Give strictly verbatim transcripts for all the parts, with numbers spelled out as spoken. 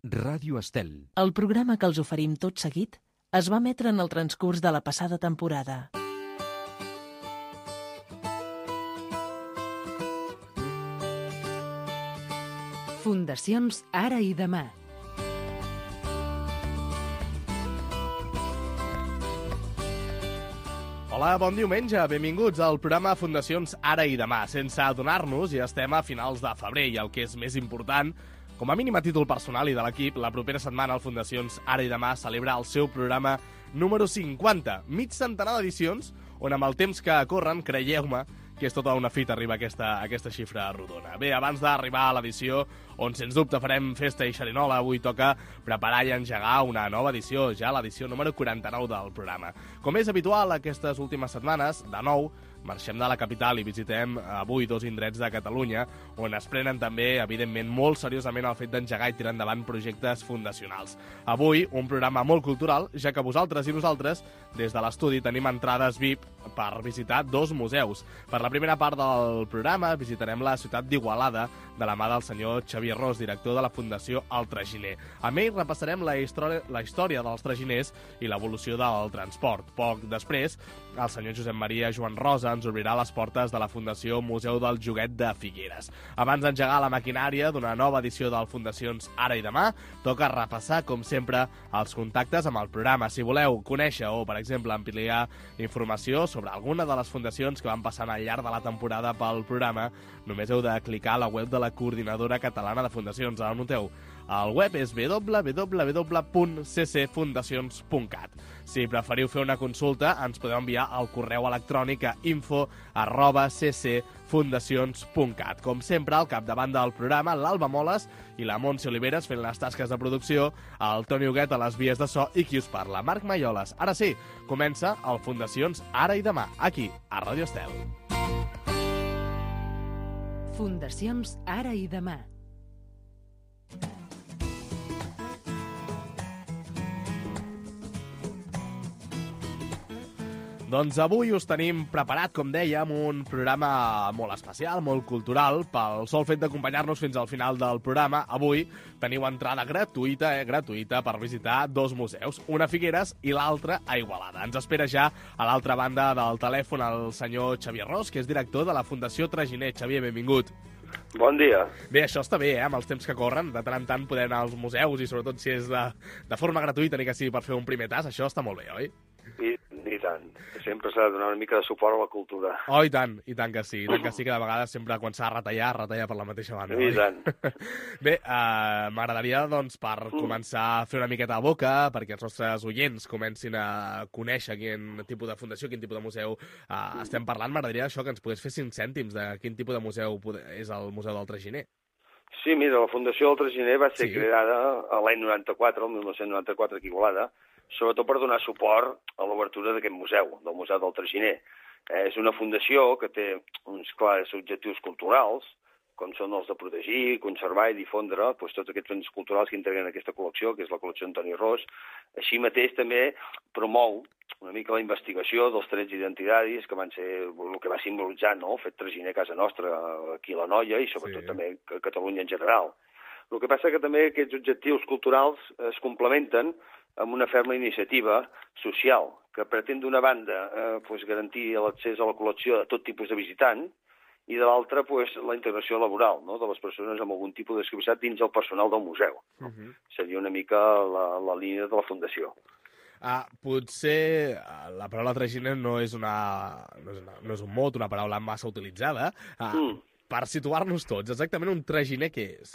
Ràdio Estel. El programa que els oferim tot seguit es va emetre en el transcurs de la passada temporada. Fundacions Ara i Demà. Hola, bon diumenge, benvinguts al programa Fundacions Ara i Demà. Sense adonar-nos, ja estem a finals de febrer i el que és més important, com a mínim a títol personal i de l'equip, la propera setmana el Fundacions Ara i Demà celebra el seu programa número cinquanta, mig centenar d'edicions, on amb el temps que corren, creieu-me, que és tota una fita arribar a aquesta, a aquesta xifra rodona. Bé, abans d'arribar a l'edició, on sens dubte farem festa i xerinola, avui toca preparar i engegar una nova edició, ja l'edició número quaranta-nou del programa. Com és habitual aquestes últimes setmanes, de nou, marxem de la capital i visitem avui dos indrets de Catalunya, on es prenen també, evidentment, molt seriosament el fet d'engegar i tirar endavant projectes fundacionals. Avui, un programa molt cultural, ja que vosaltres i nosaltres, des de l'estudi, tenim entrades V I P per visitar dos museus. Per la primera part del programa visitarem la ciutat d'Igualada, de la mà del senyor Xavier Ros, director de la Fundació El Traginer. A més, repassarem la història, la història dels traginers i l'evolució del transport. Poc després, el senyor Josep Maria Joan Rosa ens obrirà les portes de la Fundació Museu del Joguet de Figueres. Abans d'engegar la maquinària d'una nova edició del Fundacions Ara i Demà, toca repassar, com sempre, els contactes amb el programa. Si voleu conèixer o, per exemple, ampliar informació sobre alguna de les fundacions que van passant al llarg de la temporada pel programa, només heu de clicar a la web de la Coordinadora Catalana de Fundacions. Anoteu, el web és w w w punt c c fundacions punt cat. Si preferiu fer una consulta, ens podeu enviar al correu electrònic a info arroba c c fundacions punt cat. Com sempre, al capdavant del programa, l'Alba Moles i la Montse Oliveres fent les tasques de producció, el Toni Huguet a les vies de so i qui us parla, Marc Maioles. Ara sí, comença el Fundacions Ara i Demà, aquí, a Ràdio Estel. Fundacions Ara i Demà. Doncs avui us tenim preparat, com dèiem, un programa molt especial, molt cultural, pel sol fet d'acompanyar-nos fins al final del programa. Avui teniu entrada gratuïta, eh, gratuïta per visitar dos museus, una a Figueres i l'altra a Igualada. Ens espera ja a l'altra banda del telèfon el senyor Xavier Ros, que és director de la Fundació Traginer. Xavier, benvingut. Bon dia. Bé, això està bé, eh, amb els temps que corren. De tant en tant poder anar als museus i sobretot si és de, de forma gratuïta, ni que sigui per fer un primer tas, això està molt bé, oi? I, i tant. Sempre s'ha de donar una mica de suport a la cultura. Oh, i tant, i tant que sí. I tant que sí que de vegades sempre quan s'ha de retallar, retallar per la mateixa banda. I oi? tant. Bé, uh, m'agradaria, doncs, per començar a fer una miqueta de boca, perquè els nostres oients comencin a conèixer quin tipus de fundació, quin tipus de museu uh, estem parlant, m'agradaria això que ens pogués fer cinc cèntims de quin tipus de museu és el Museu del Traginer. Sí, mira, la Fundació del Traginer va ser Sí. creada a l'any noranta-quatre, el mil nou-cents noranta-quatre, aquí a Igualada, sobretot per donar suport a l'obertura d'aquest museu, del Museu del Traginer. Eh, és una fundació que té uns clars objectius culturals, com són els de protegir, conservar i difondre doncs, tots aquests béns culturals que integren aquesta col·lecció, que és la col·lecció Antoni Ros. Així mateix també promou una mica la investigació dels trets identitaris que van ser el que va simbolitzar, no?, el fet traginer a casa nostra, aquí a l'Anoia i sobretot Sí. també a Catalunya en general. El que passa que també aquests objectius culturals es complementen amb una ferma iniciativa social que pretén d'una banda eh, pues, garantir l'accés a la col·lecció de tot tipus de visitant i de l'altra pues, la integració laboral, no?, de les persones amb algun tipus de discapacitat dins el personal del museu. No? Uh -huh. Seria una mica la, la línia de la Fundació. Ah, potser uh, la paraula traginer no és, una, no, és una, no és un mot, una paraula massa utilitzada. Uh, Mm. Per situar-nos tots, exactament un traginer què és?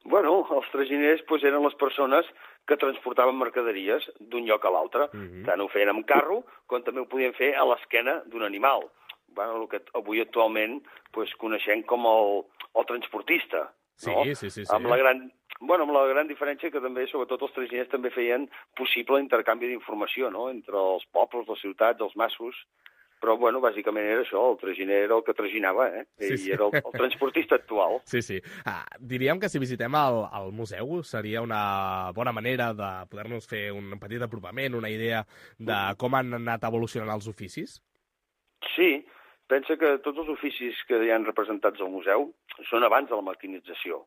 Bueno, els traginers pues, eren les persones que transportaven mercaderies d'un lloc a l'altre. Uh -huh. Tant ho feien amb carro, com també ho podien fer a l'esquena d'un animal. Bueno, el que avui actualment pues, coneixem com el, el transportista. Sí, no? sí, sí, sí. Amb la gran, bueno, amb la gran diferència que també, sobretot, els traginers també feien possible l'intercanvi d'informació, no?, entre els pobles, les ciutats, els massos. Però, bueno, bàsicament era això, el traginer era el que traginava, eh? Sí, I sí. era el, el transportista actual. Sí, sí. Ah, diríem que si visitem el, el museu seria una bona manera de poder-nos fer un petit apropament, una idea de com han anat evolucionant els oficis? Sí, pensa que tots els oficis que hi han representats al museu són abans de la maquinització.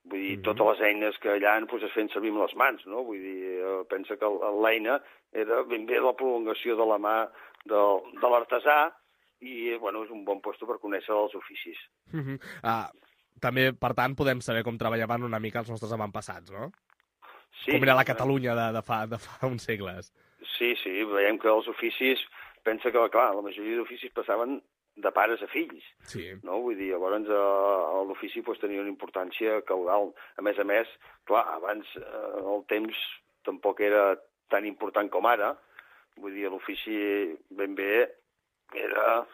Vull dir, Mhm. totes les eines que allà doncs, es feien servir amb les mans, no? Vull dir, eh, pensa que el- l'eina era ben bé la prolongació de la mà del, de l'artesà i, bueno, és un bon lloc per conèixer els oficis. Mhm. Ah, també, per tant, podem saber com treballaven una mica els nostres avantpassats, no? Sí, Com era la Catalunya de, de, fa, de fa uns segles. Sí, sí, veiem que els oficis, pensa que, clar, la majoria d'oficis passaven de pares a fills, Sí. no? Vull dir, llavors eh, l'ofici pues, tenia una importància caudal. A més a més, clar, abans eh, el temps tampoc era tan important com ara. Vull dir, l'ofici ben bé era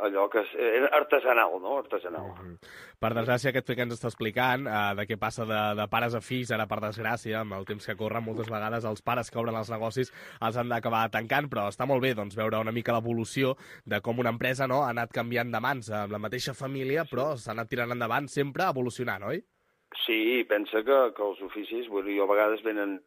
allò que és, era artesanal, no? Artesanal. Mm -hmm. Per desgràcia, aquest fet que ens està explicant, eh, de què passa de, de pares a fills, ara per desgràcia, amb el temps que corre, moltes vegades els pares que obren els negocis els han d'acabar tancant, però està molt bé doncs, veure una mica l'evolució de com una empresa, no, ha anat canviant de mans amb la mateixa família, però s'ha anat tirant endavant sempre evolucionant, oi? Sí, pensa que, que els oficis, bueno, jo a vegades venen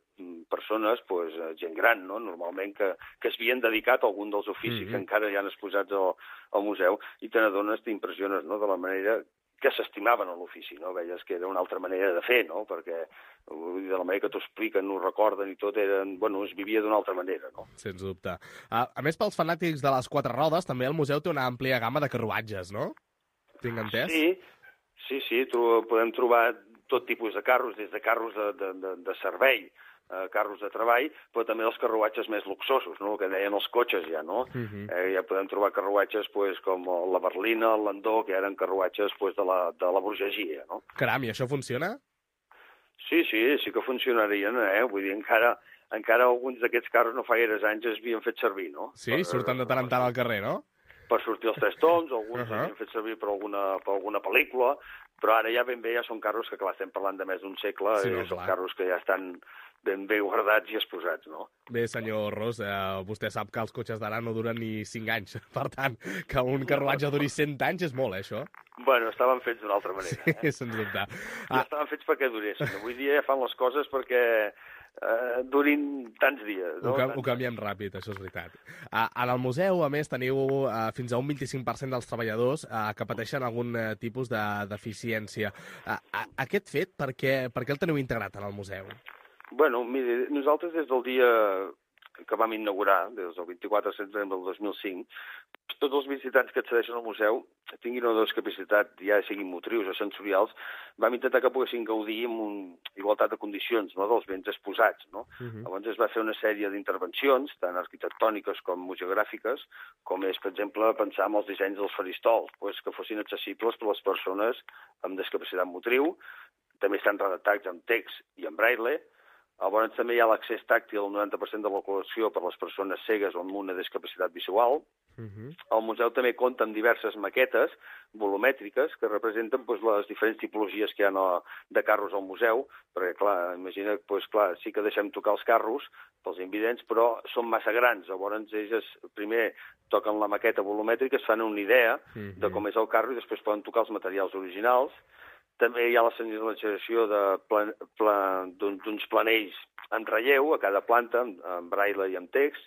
persones, pues, gent gran, no? Normalment, que, que es havien dedicat a algun dels oficis mm-hmm. que encara hi han exposats al, al museu, i te n'adones, t'impressiones, no?, de la manera que s'estimaven a l'ofici, no? Veies que era una altra manera de fer, no? Perquè de la manera que t'ho expliquen, ho recorden i tot, eren, bueno, es vivia d'una altra manera, no? Sens dubte. A, a més, pels fanàtics de les quatre rodes, també el museu té una àmplia gamma de carruatges, no? Tinc entès? Sí, sí, sí, tro podem trobar tot tipus de carros, des de carros de, de, de, de servei, eh, carros de treball, però també els carruatges més luxosos, no? El que deien els cotxes ja, no? Uh -huh. eh, ja podem trobar carruatges pues, com la berlina, el landó, que eren carruatges pues, de, la, de la burgesia, no? Caram, i això funciona? Sí, sí, sí que funcionarien, eh? Vull dir, encara, encara alguns d'aquests carros no fa gaires anys es havien fet servir, no? Sí, per, surten de tant en tant al carrer, no? Per sortir els tres toms, alguns uh -huh. havien fet servir per alguna, per alguna pel·lícula, però ara ja ben bé ja són carros que, clar, estem parlant de més d'un segle, sí, no, i són clar. Carros que ja estan ben bé guardats i exposats, no? Bé, senyor Ros, eh, vostè sap que els cotxes d'ara no duren ni cinc anys. Per tant, que un carruatge duri cent anys és molt, eh, això? Bueno, estaven fets d'una altra manera. Sí, eh? sens dubte. Ah. Ja estaven fets perquè duressin. Avui dia ja fan les coses perquè eh, durin tants dies. No? Ho, ho canviem ràpid, això és veritat. Uh, en el museu, a més, teniu uh, fins a un vint-i-cinc per cent dels treballadors uh, que pateixen algun uh, tipus de deficiència. Uh, uh, aquest fet, per què, per què el teniu integrat en el museu? Bueno, mire, nosaltres des del dia que vam inaugurar, des del vint-i-quatre de setembre del dos mil cinc, tots els visitants que accedeixen al museu tinguin una discapacitat, ja siguin motrius o sensorials, vam intentar que poguessin gaudir amb un igualtat de condicions, no?, dels béns exposats, no? Uh-huh. Llavors es va fer una sèrie d'intervencions, tant arquitectòniques com museogràfiques, com és, per exemple, pensar en els dissenys dels faristols, pues, que fossin accessibles per a les persones amb discapacitat motriu, també estan redactats en text i en braille. Llavors també hi ha l'accés tàctil al noranta per cent de la col·lecció per a les persones cegues o amb una discapacitat visual. Uh-huh. El museu també compta amb diverses maquetes volumètriques que representen doncs, les diferents tipologies que hi ha de carros al museu, perquè, clar, imagina, doncs, clar, sí que deixem tocar els carros pels invidents, però són massa grans. Llavors ells primer toquen la maqueta volumètrica, es fan una idea uh-huh. de com és el carro i després poden tocar els materials originals. També hi ha la senyalització plan, plan, d'uns planells en relleu a cada planta, en, en braille i en text,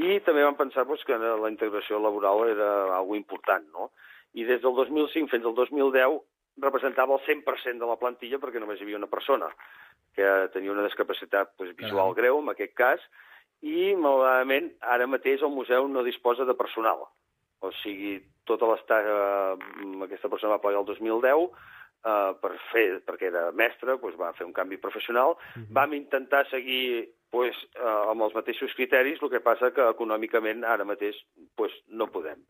i també vam pensar doncs, que la integració laboral era algo important, no? I des del dos mil cinc fins al dos mil deu representava el cent per cent de la plantilla perquè només hi havia una persona que tenia una discapacitat doncs, visual greu, en aquest cas, i malauradament ara mateix el museu no disposa de personal. O sigui, tota l'estada aquesta persona va plegar el dos mil deu, Uh, per fer, perquè era mestre, doncs va fer un canvi professional. Uh-huh. Vam intentar seguir doncs, uh, amb els mateixos criteris, el que passa que econòmicament ara mateix doncs, no podem.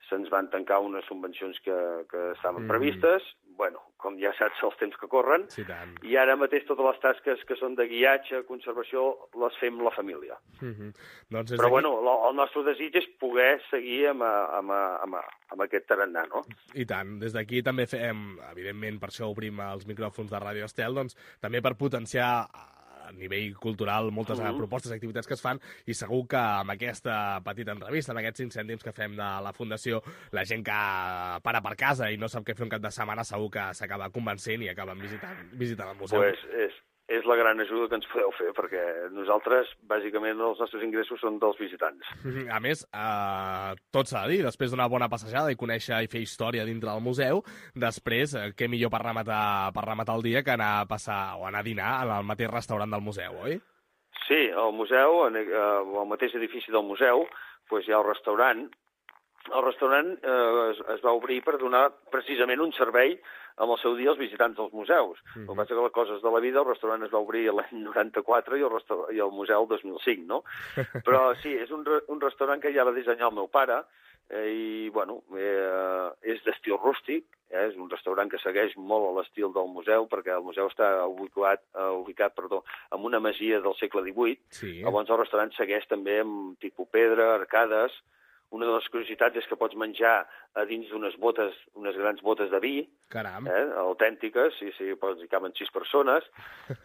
Se'ns van tancar unes subvencions que, que estaven uh-huh. previstes, bueno, com ja saps els temps que corren, sí, tant. I ara mateix totes les tasques que són de guiatge, conservació, les fem la família. Uh-huh. doncs Però aquí... bueno, el nostre desig és poder seguir amb, amb, amb, amb aquest tarannà, no? I tant, des d'aquí també fem, evidentment, per això obrim els micròfons de Ràdio Estel, doncs també per potenciar a nivell cultural moltes uh-huh. propostes i activitats que es fan, i segur que amb aquesta petita entrevista, amb aquests cinc cèntims que fem de la Fundació, la gent que para per casa i no sap què fer un cap de setmana segur que s'acaba convencent i acaben visitant, visitant el museu. Pues és, és la gran ajuda que ens podeu fer, perquè nosaltres, bàsicament, els nostres ingressos són dels visitants. A més, eh, tot s'ha de dir, després d'una bona passejada i conèixer i fer història dintre del museu, després, eh, què millor per rematar, per rematar el dia que anar a passar o anar a dinar al mateix restaurant del museu, oi? Sí, al museu, en, eh, al mateix edifici del museu, doncs hi ha el restaurant. El restaurant eh, es, es va obrir per donar precisament un servei amb el seu dia als visitants dels museus. Mm-hmm. El que passa que les coses de la vida, el restaurant es va obrir l'any noranta-quatre i el, i el museu el dos mil cinc, no? Però sí, és un, un restaurant que ja va dissenyar el meu pare eh, i, bueno, eh, és d'estil rústic, eh, és un restaurant que segueix molt a l'estil del museu, perquè el museu està ubicat, uh, ubicat perdó, en una masia del segle divuit. Sí. Llavors el restaurant segueix també amb tipus pedra, arcades. Una de les curiositats és que pots menjar a dins d'unes botes, unes grans botes de vi, Caram. eh, autèntiques, sí, sí, hi caben sis persones,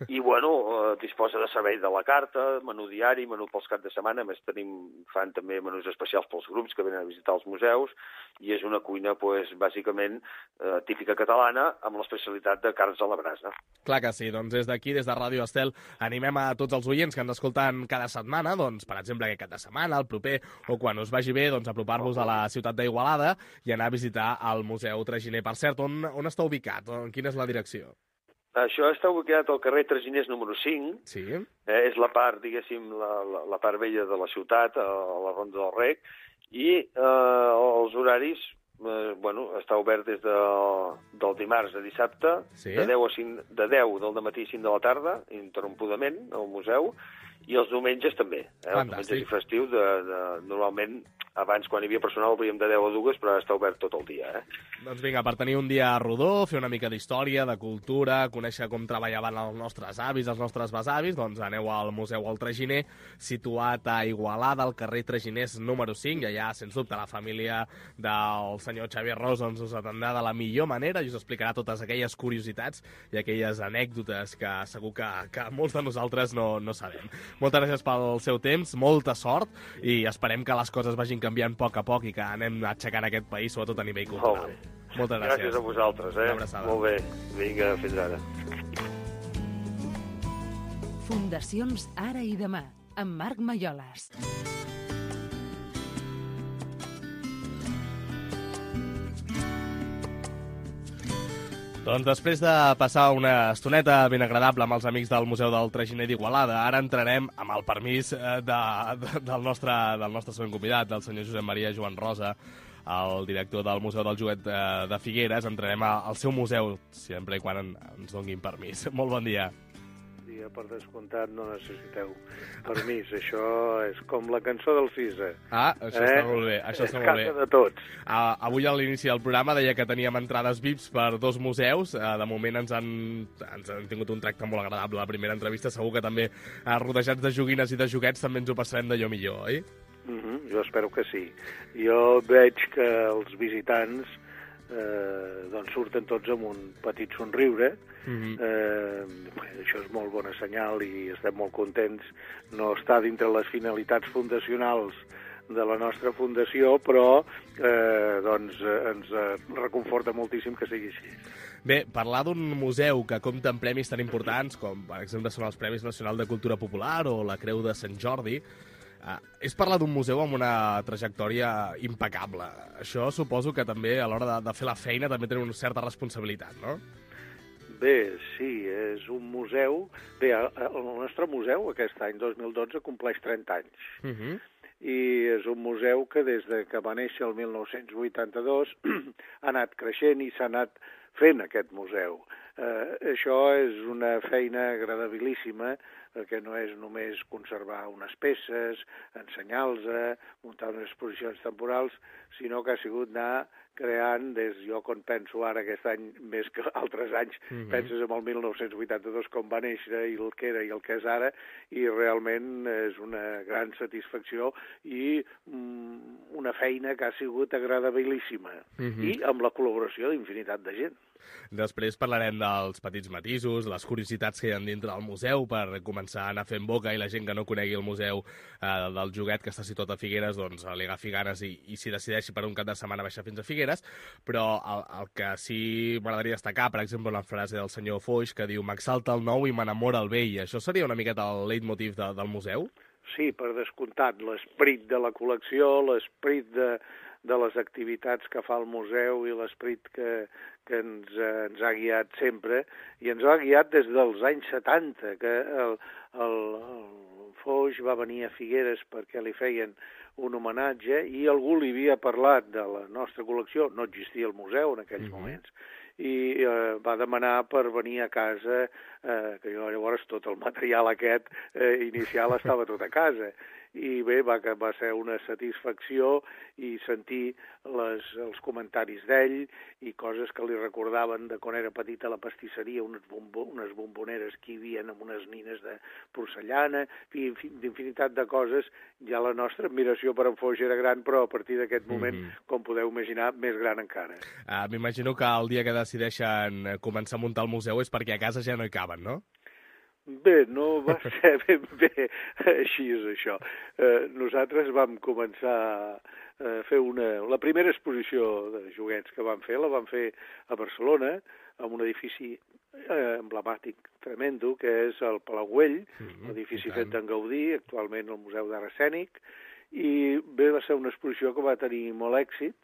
i, bueno, eh, disposa de servei de la carta, menú diari, menú pels caps de setmana, a més tenim, fan també menús especials pels grups que venen a visitar els museus, i és una cuina, pues, bàsicament, eh, típica catalana, amb l'especialitat de carns a la brasa. Clar que sí, doncs des d'aquí, des de Ràdio Estel, animem a tots els oients que ens escolten cada setmana, doncs, per exemple, aquest cap de setmana, el proper, o quan us vagi bé, doncs, apropar-vos a la ciutat d'Igualada i anar a visitar el Museu Traginer. Per cert, on, on està ubicat? Quina és la direcció? Això està ubicat al carrer Traginers número cinc. Sí. Eh, és la part, diguéssim, la, la, la part vella de la ciutat, a, a la Ronda del Rec, i eh, els horaris, eh, bueno, està obert des de, del dimarts a dissabte, sí. de, deu a cinc, de deu del matí a cinc de la tarda, interrompudament, al museu, i els diumenges també. Eh? Els diumenges i festius, de, de, normalment, abans, quan hi havia personal, el veiem de deu a dues, però ara està obert tot el dia. Eh? Doncs vinga, per tenir un dia rodó, fer una mica d'història, de cultura, conèixer com treballaven els nostres avis, els nostres besavis, doncs aneu al Museu El Traginer, situat a Igualada, al carrer Traginers número cinc, i allà, sens dubte, la família del senyor Xavier Ros doncs, us atendrà de la millor manera i us explicarà totes aquelles curiositats i aquelles anècdotes que segur que, que molts de nosaltres no, no sabem. Moltes gràcies pel seu temps, molta sort, i esperem que les coses vagin canviant a poc a poc i que anem aixecant aquest país, sobretot a nivell cultural. Moltes gràcies. Gràcies a vosaltres, eh? Molt bé. Vinga, fins ara. Fundacions Ara i Demà, amb Marc Malloles. Doncs després de passar una estoneta ben agradable amb els amics del Museu del Traginer d'Igualada, ara entrarem amb el permís de, de, del, nostre, del nostre següent convidat, del senyor Josep Maria Joan Rosa, el director del Museu del Joguet de, de Figueres. Entrarem al seu museu, sempre i quan en, ens donguin permís. Molt bon dia. Per descomptat no necessiteu permís, això és com la cançó del Cisa. Ah, això eh? està molt bé. Això és està molt bé. casa de tots. Uh, avui a l'inici del programa deia que teníem entrades V I Ps per dos museus. Uh, de moment ens han, ens han tingut un tracte molt agradable. La primera entrevista segur que també uh, rodejats de joguines i de joguets també ens ho passarem d'allò millor, oi? Mm-hmm, jo espero que sí. Jo veig que els visitants eh, doncs surten tots amb un petit somriure. Mm-hmm. eh, això és molt bona senyal i estem molt contents. No està dintre les finalitats fundacionals de la nostra fundació, però eh, doncs, eh, ens eh, reconforta moltíssim que sigui així. Bé, parlar d'un museu que compta amb premis tan importants com, per exemple, són els Premis Nacional de Cultura Popular o la Creu de Sant Jordi, eh, és parlar d'un museu amb una trajectòria impecable. Això suposo que també a l'hora de, de fer la feina també tenen una certa responsabilitat, no? Bé, sí, és un museu... Bé, el nostre museu aquest any, dos mil dotze, compleix trenta anys. Uh-huh. I és un museu que des de que va néixer el mil nou-cents vuitanta-dos ha anat creixent i s'ha anat fent aquest museu. Eh, això és una feina agradabilíssima, perquè no és només conservar unes peces, ensenyar-los, muntar unes exposicions temporals, sinó que ha sigut anar creant, des jo quan penso ara aquest any més que altres anys, mm-hmm. penses en el mil nou-cents vuitanta-dos com va néixer i el que era i el que és ara, i realment és una gran satisfacció i mm, una feina que ha sigut agradabilíssima, mm-hmm. i amb la col·laboració d'infinitat de gent. Després parlarem dels petits matisos, les curiositats que hi ha dintre del museu per començar a anar fent boca i la gent que no conegui el museu eh, del joguet que està situat a Figueres doncs li agafi ganes i, i s'hi decideixi per un cap de setmana baixar fins a Figueres, però el, el que sí m'agradaria destacar, per exemple, la frase del senyor Foix que diu «M'exalta el nou i m'enamora el vell». Això seria una miqueta el leitmotiv de, del museu? Sí, per descomptat, l'esperit de la col·lecció, l'esperit de, de les activitats que fa el museu i l'esperit que, que ens, eh, ens ha guiat sempre, i ens ha guiat des dels anys setanta, que el, el, el Foix va venir a Figueres perquè li feien un homenatge i algú li havia parlat de la nostra col·lecció, no existia el museu en aquells mm-hmm. moments, i eh, va demanar per venir a casa, eh, que jo llavors tot el material aquest eh, inicial estava tot a casa. I bé, va, va ser una satisfacció i sentir les, els comentaris d'ell i coses que li recordaven de quan era petit a la pastisseria, unes, bombo, unes bomboneres que hi havia amb unes nines de porcellana, d'infinitat de coses. Ja la nostra admiració per en Foix era gran, però a partir d'aquest moment, mm-hmm. com podeu imaginar, més gran encara. Uh, M'imagino que el dia que decideixen començar a muntar el museu és perquè a casa ja no hi caben, no? Bé, no va ser ben bé així, és això. Eh, nosaltres vam començar a fer una... La primera exposició de joguets que vam fer, la vam fer a Barcelona, en un edifici eh, emblemàtic tremendo, que és el Palau Güell, mm-hmm, l'edifici fet d'en Gaudí, actualment el Museu d'Art Escènic, i bé, va ser una exposició que va tenir molt èxit.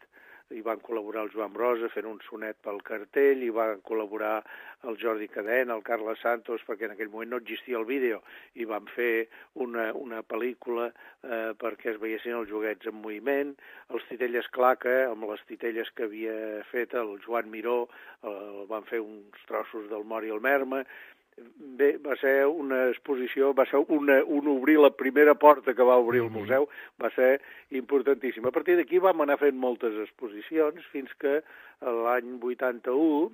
Hi van col·laborar el Joan Brossa fent un sonet pel cartell, hi van col·laborar el Jordi Cadena, el Carles Santos, perquè en aquell moment no existia el vídeo, i van fer una, una pel·lícula eh, perquè es veiessin els joguets en moviment, els Titelles Claca, amb les titelles que havia fet el Joan Miró, el, van fer uns trossos del Mori i el Merma. Bé, va ser una exposició, va ser una, un obrir la primera porta que va obrir el museu, va ser importantíssim. A partir d'aquí vam anar fent moltes exposicions fins que l'any vuitanta-u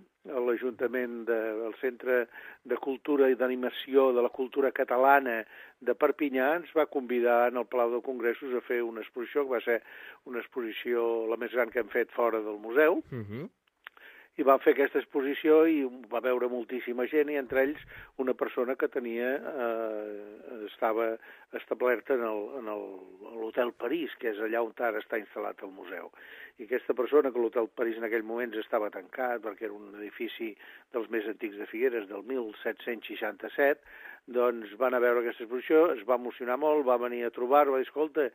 l'Ajuntament del Centre de Cultura i d'Animació de la Cultura Catalana de Perpinyà ens va convidar en el Palau de Congressos a fer una exposició, que va ser una exposició la més gran que hem fet fora del museu, uh-huh. i van fer aquesta exposició i va veure moltíssima gent, i entre ells una persona que tenia, eh, estava establerta en, el, en el, l'Hotel París, que és allà on ara està instal·lat el museu. I aquesta persona, que l'Hotel París en aquell moment estava tancat, perquè era un edifici dels més antics de Figueres, del mil set-cents seixanta-set, doncs van a veure aquesta exposició, es va emocionar molt, va venir a trobar-ho, va dir, escolta,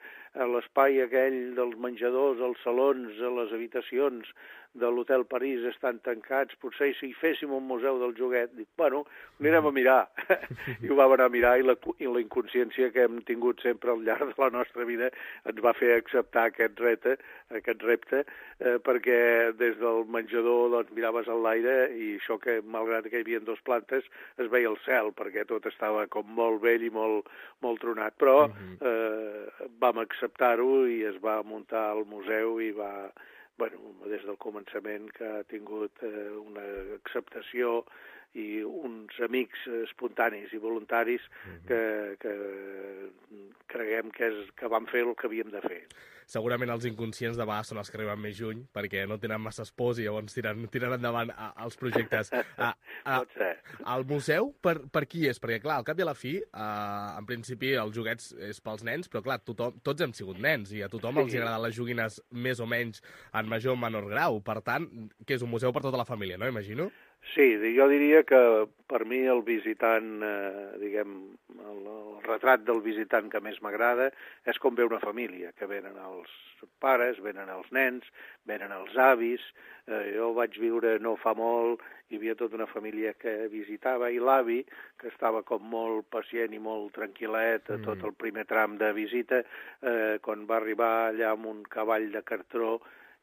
l'espai aquell dels menjadors, els salons, les habitacions de l'Hotel París estan tancats, potser si féssim un museu del joguet. Dic, bueno, anirem a mirar. I ho vam anar a mirar, i la, i la inconsciència que hem tingut sempre al llarg de la nostra vida ens va fer acceptar aquest repte, aquest repte eh, perquè des del menjador doncs, miraves a l'aire i això que, malgrat que hi havia dues plantes, es veia el cel, perquè tot estava com molt vell i molt, molt tronat. Però eh, vam acceptar-ho i es va muntar el museu i va... Bueno, des del començament que ha tingut eh, una acceptació i uns amics espontanis i voluntaris que, que creguem que, és, que van fer el que havíem de fer. Segurament els inconscients de vegades són els que arriben més lluny, perquè no tenen massa pors i llavors tiren, tiren endavant a, els projectes. A, a, el museu, per, per qui és? Perquè, clar, al cap i a la fi, a, en principi, els joguets és pels nens, però, clar, tothom, tots hem sigut nens i a tothom sí. els agraden les joguines més o menys en major o menor grau. Per tant, que és un museu per tota la família, no? Imagino. Sí, jo diria que per mi el visitant, eh, diguem, el, el retrat del visitant que més m'agrada és com ve una família, que venen els pares, venen els nens, venen els avis. Eh, jo vaig viure no fa molt, hi havia tota una família que visitava, i l'avi, que estava com molt pacient i molt tranquil·let a tot el primer tram de visita, eh, quan va arribar allà amb un cavall de cartró,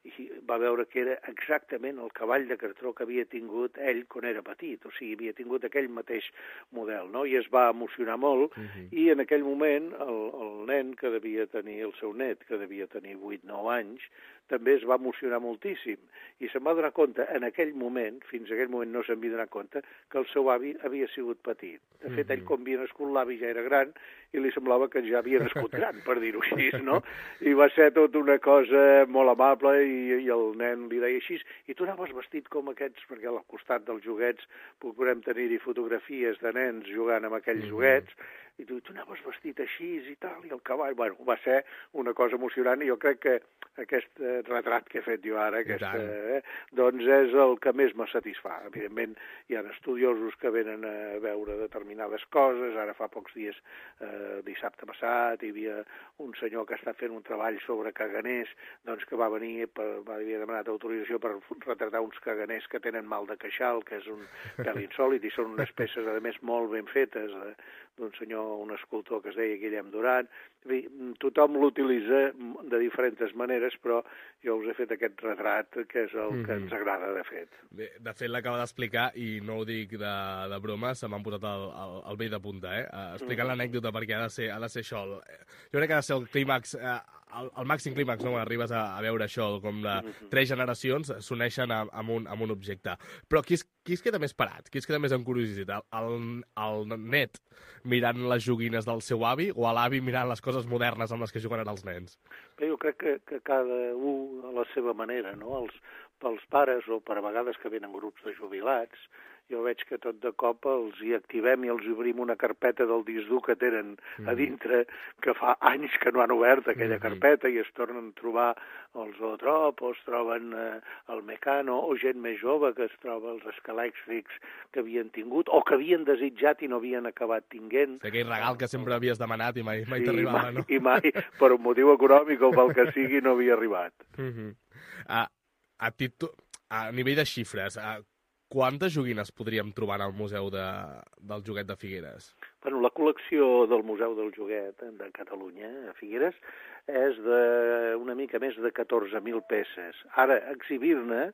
i va veure que era exactament el cavall de cartró que havia tingut ell quan era petit, o sigui, havia tingut aquell mateix model, no? I es va emocionar molt, uh-huh. i en aquell moment el, el nen que devia tenir, el seu net, que devia tenir vuit nou anys, també es va emocionar moltíssim. I se'n va donar compte, en aquell moment, fins a aquell moment no se'n havia donat compte, que el seu avi havia sigut petit. De fet, ell, com havia nascut, l'avi ja era gran i li semblava que ja havia nascut gran, per dir-ho així, no? I va ser tot una cosa molt amable i, i el nen li deia així, i tu anaves vestit com aquests, perquè al costat dels joguets podem tenir-hi fotografies de nens jugant amb aquells mm-hmm. joguets, i tu, tu anaves vestit així i tal, i el cavall... Bueno, va ser una cosa emocionant i jo crec que aquest eh, retrat que he fet jo ara, aquesta, eh, doncs és el que més me satisfà. Evidentment, hi ha estudiosos que venen a veure determinades coses. Ara fa pocs dies, eh, dissabte passat, hi havia un senyor que està fent un treball sobre caganers, doncs que va venir, per, va haver demanat autorització per retratar uns caganers que tenen mal de queixal, que és un pèl insòlit, i són unes peces, a més, molt ben fetes, eh, d'un senyor, un escultor que es deia Guillem Duran. Tothom l'utilitza de diferents maneres, però jo us he fet aquest retrat, que és el mm-hmm. que ens agrada, de fet. Bé, de fet, l'acaba d'explicar, i no ho dic de, de broma, se m'han posat el, el, el vell de punta, eh? Uh, explicant mm-hmm. l'anècdota, perquè ha de ser, ha de ser això. El, jo crec que ha de ser el clímax, eh, el, el màxim clímax, no? Quan arribes a, a veure això, com de mm-hmm. tres generacions s'uneixen amb, un, amb un objecte. Però qui es, qui es queda més parat? Qui es queda més amb curiositat? El, el net mirant les joguines del seu avi o l'avi mirant les coses modernes amb les que juguen ara els nens? Bé, jo crec que, que cada un a la seva manera, no? Els, pels pares o per a vegades que venen grups de jubilats, jo veig que tot de cop els hi activem i els obrim una carpeta del disc dur que tenen mm. a dintre, que fa anys que no han obert aquella mm-hmm. carpeta, i es tornen a trobar els Zootrop, o es troben eh, el Mecano, o gent més jove que es troba els escalèxtrics que havien tingut, o que havien desitjat i no havien acabat tinguent. Sí, aquell regal que sempre havies demanat i mai, mai sí, t'arribava, mai, no? I mai, per un motiu econòmic o pel que sigui, no havia arribat. Mm-hmm. a, a, titu... a nivell de xifres, a... quantes joguines podríem trobar al Museu de, del Joguet de Figueres? Bueno, la col·lecció del Museu del Joguet de Catalunya, a Figueres, és de una mica més de catorze mil peces. Ara, exhibir-ne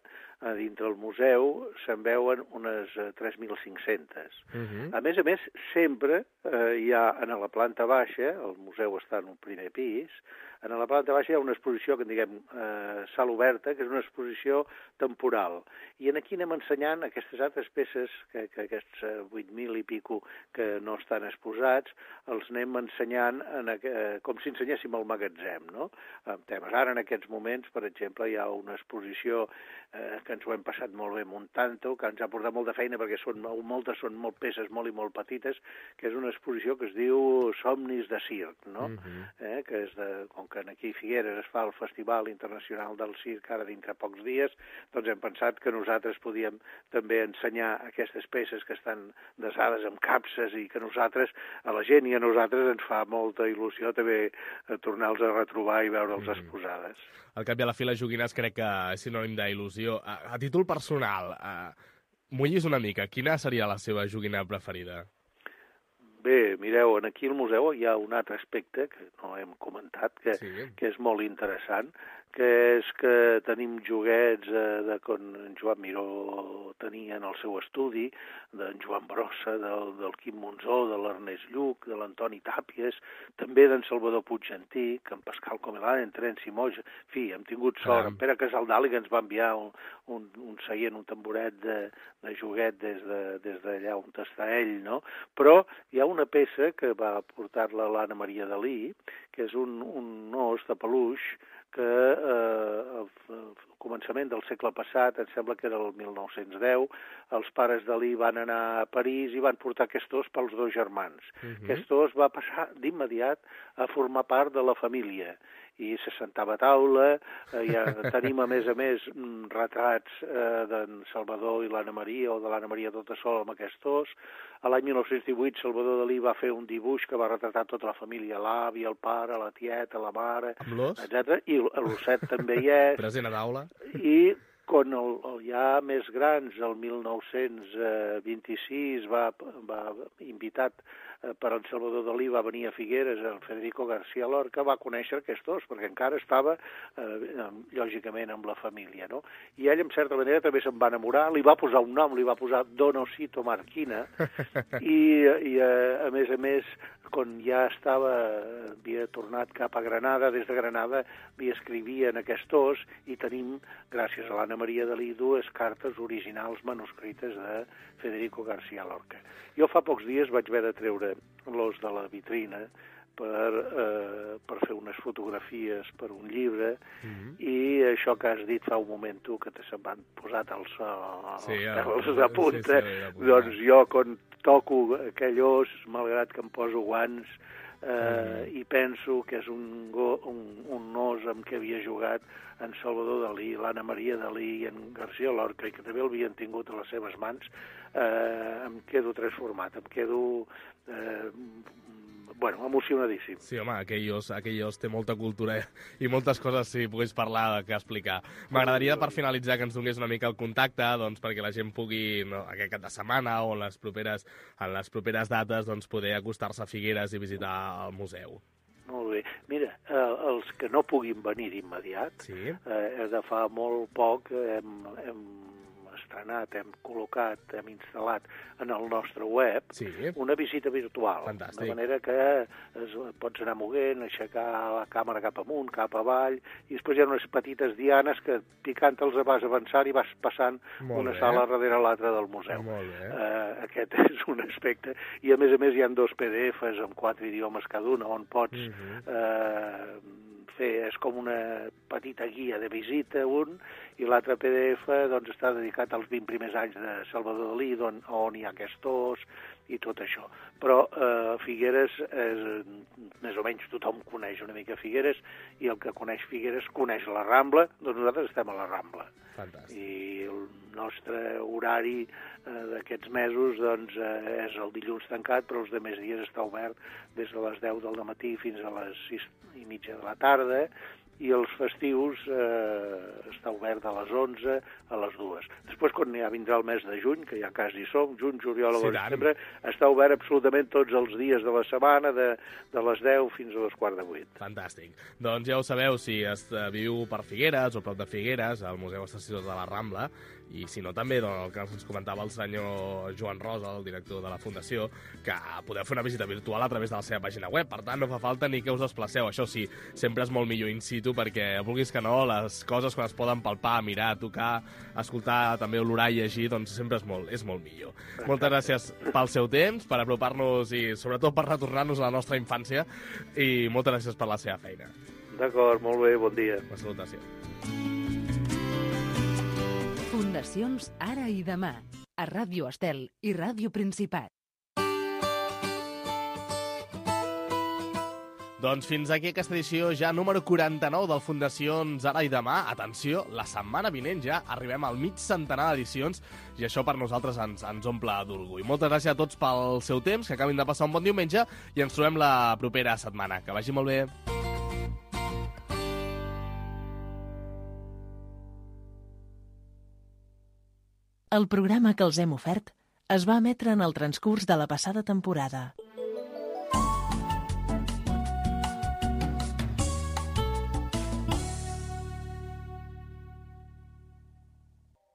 a dintre el museu se'n veuen unes tres mil cinc-centes. Uh-huh. A més a més, sempre eh, hi ha a la planta baixa, el museu està en un primer pis, a la planta baixa hi ha una exposició que en diguem eh, sala oberta, que és una exposició temporal. I aquí anem ensenyant aquestes altres peces, que, que aquests vuit mil i pico que no estan exposats, els anem ensenyant en, eh, com si ensenyéssim al magatzem, no? Amb temes. Ara, en aquests moments, per exemple, hi ha una exposició eh, que ens ho hem passat molt bé muntant-ho, que ens ha portat molta feina perquè són, moltes són molt peces molt i molt petites, que és una exposició que es diu Somnis de Circ, no? Uh-huh. eh, que és de, com que aquí a Figueres es fa el Festival Internacional del Circ ara dintre pocs dies, doncs hem pensat que nosaltres podíem també ensenyar aquestes peces que estan desades amb capses i que nosaltres, a la gent i a nosaltres ens fa molta il·lusió també tornar-los a retrobar i veure'ls mm. exposades. Al cap i a la fi, les joguines crec que és sinònim d'il·lusió. A, a títol personal, uh, mullis una mica, quina seria la seva joguina preferida? Bé, mireu, aquí al museu hi ha un altre aspecte que no hem comentat, que, sí. que és molt interessant, que és que tenim joguets eh, de quan en Joan Miró tenia en el seu estudi, d'en Joan Brossa, del, del Quim Monzó, de l'Ernest Lluc, de l'Antoni Tàpies, també d'en Salvador Puigantí, en Pascal Comelà, en Terenci Moja. En fi, hem tingut sort. Ah. En Pere Casaldàliga que ens va enviar un, un, un seient, un tamboret de, de joguet des d'allà de, des on està ell, no? Però hi ha una peça que va portar-la l'Anna Maria Dalí, que és un, un os de peluix que eh, al, al començament del segle passat, em sembla que era el mil nou-cents deu, els pares Dalí van anar a París i van portar aquest os pels dos germans. Uh-huh. Aquest os va passar d'immediat a formar part de la família i se sentava a taula, eh, ja tenim a més a més retrats eh, d'en Salvador i l'Anna Maria, o de l'Anna Maria tota sola amb aquest os. A l'any mil nou-cents divuit Salvador Dalí va fer un dibuix que va retratar tota la família, l'avi, el pare, la tieta, la mare, etcètera. I l'osset també hi és. Present a taula. I quan el, el ja més grans, el mil nou-cents vint-i-sis, va, va invitat per en Salvador Dalí va venir a Figueres, el Federico García Lorca va conèixer aquests dos, perquè encara estava, eh, lògicament, amb la família, no? I ell, en certa manera, també se'n va enamorar, li va posar un nom, li va posar Donosito Marquina, i, i a, a més a més, quan ja estava, havia tornat cap a Granada, des de Granada li escrivien aquests dos, i tenim, gràcies a l'Anna Maria Dalí, dues cartes originals manuscrites de Federico García Lorca. Jo fa pocs dies vaig haver de treure l'os de la vitrina per, eh, per fer unes fotografies per un llibre, mm-hmm. i això que has dit fa un moment tu, que te se'n van posat els, els sí, pèls de punta, sí, sí, doncs jo quan toco aquell os, malgrat que em poso guants, eh, mm. i penso que és un, go, un, un os amb què havia jugat en Salvador Dalí, l'Anna Maria Dalí i en García Lorca, i que també l'havien tingut a les seves mans, eh, em quedo transformat, em quedo eh, bueno, emocionadíssim. Sí, home, aquell os, aquell os té molta cultura i moltes coses, si pogués parlar, que explicar. M'agradaria, per finalitzar, que ens donés una mica el contacte, doncs, perquè la gent pugui, no, aquest cap de setmana o en les properes, en les properes dates, doncs, poder acostar-se a Figueres i visitar el museu. Molt bé. Mira, eh, els que no puguin venir d'immediat, sí. eh, de fa molt poc hem, hem estrenat, hem col·locat, hem instal·lat en el nostre web, sí. una visita virtual. Fantàstic. De manera que es, pots anar moguent, aixecar la càmera cap amunt, cap avall, i després hi ha unes petites dianes que picant-te'ls vas avançant i vas passant Molt una bé. sala darrere l'altra del museu. Molt bé. Uh, aquest és un aspecte. I a més a més hi ha dos P D Fs amb quatre idiomes cada un, on pots uh-huh. uh, fer, és com una petita guia de visita, un, i l'altre P D F doncs, està dedicat als vint primers anys de Salvador Dalí, on, on hi ha aquests os i tot això. Però eh, Figueres, és, més o menys tothom coneix una mica Figueres, i el que coneix Figueres coneix la Rambla, doncs nosaltres estem a la Rambla. Fantàstic. I el nostre horari eh, d'aquests mesos doncs, eh, és el dilluns tancat, però els demés dies està obert des de les deu del matí fins a les sis i mitja de la tarda, i els festius eh, està obert de les onze a les dues. Després, quan ja vindrà el mes de juny, que ja quasi som, juny, juliol, agost, sí, setembre, està obert absolutament tots els dies de la setmana, de, de les deu fins a les quart de vuit. Fantàstic. Doncs ja ho sabeu, si es viu per Figueres o prop de Figueres, al Museu Estació de la Rambla, i si no també, doncs, el que ens comentava el senyor Joan Rosa, el director de la Fundació, que podeu fer una visita virtual a través de la seva pàgina web. Per tant, no fa falta ni que us desplaceu. Això sí, sempre és molt millor in situ, perquè, vulguis que no, les coses quan es poden palpar, mirar, tocar, escoltar, també olorar i llegir, doncs sempre és molt, és molt millor. Exacte. Moltes gràcies pel seu temps, per apropar-nos i sobretot per retornar-nos a la nostra infància, i moltes gràcies per la seva feina. D'acord, molt bé, bon dia. Una salutació. Fundacions Ara i Demà, a Ràdio Estel i Ràdio Principat. Doncs fins aquí aquesta edició ja número quaranta-nou del Fundacions Ara i Demà. Atenció, la setmana vinent ja arribem al mig centenar d'edicions i això per nosaltres ens, ens omple d'orgull. Moltes gràcies a tots pel seu temps, que acabin de passar un bon diumenge i ens trobem la propera setmana. Que vagi molt bé. El programa que els hem ofert es va emetre en el transcurs de la passada temporada.